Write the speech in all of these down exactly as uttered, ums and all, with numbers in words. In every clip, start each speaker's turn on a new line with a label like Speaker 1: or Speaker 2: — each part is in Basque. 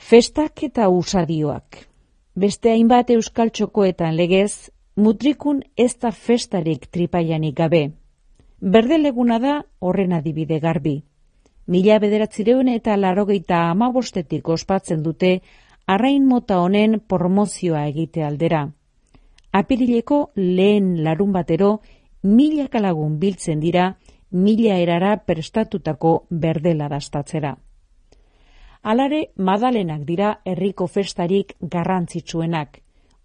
Speaker 1: Festak eta usadioak. Beste hainbat euskal txokoetan legez, mutrikun ez da festarik tripaianik gabe. Berdeleguna da horren adibide garbi. Mila bederatzireun eta larogeita hamabostetik ospatzen dute arrain mota honen promozioa egite aldera. Apirileko lehen larun batero milaka lagun biltzen dira mila erara prestatutako berdela dastatzera. Alare, Madalenak dira herriko festarik garrantzitsuenak,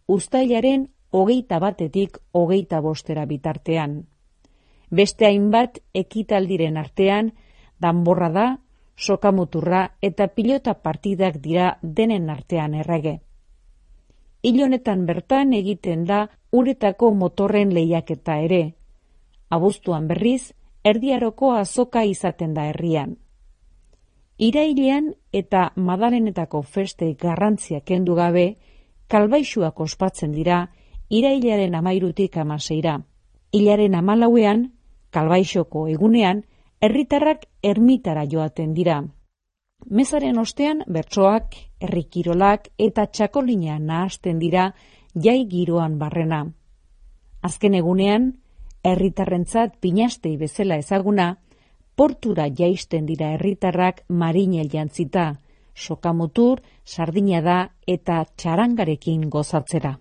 Speaker 1: uztailaren hogeita batetik hogeita bostera bitartean. Beste hainbat ekitaldiren artean, danborra da, sokamuturra eta pilota partidak dira denen artean errege. Hil honetan bertan egiten da uretako motorren lehiaketa ere. Abuztuan berriz, erdiaroko azoka izaten da herrian. Irailean eta Madalenetako feste garrantzia kendu gabe, kalbaixuak ospatzen dira irailaren amairutik amaseira. Hilaren amalauean, kalbaixoko egunean, herritarrak ermitara joaten dira. Mezaren ostean bertsoak, herrikirolak eta txakolina nahasten dira jai giroan barrena. Azken egunean, herritarrentzat pinastei bezala ezaguna, portura jaisten dira herritarrak marinel jantzita, sokamutur, sardinada eta txarangarekin gozatzera.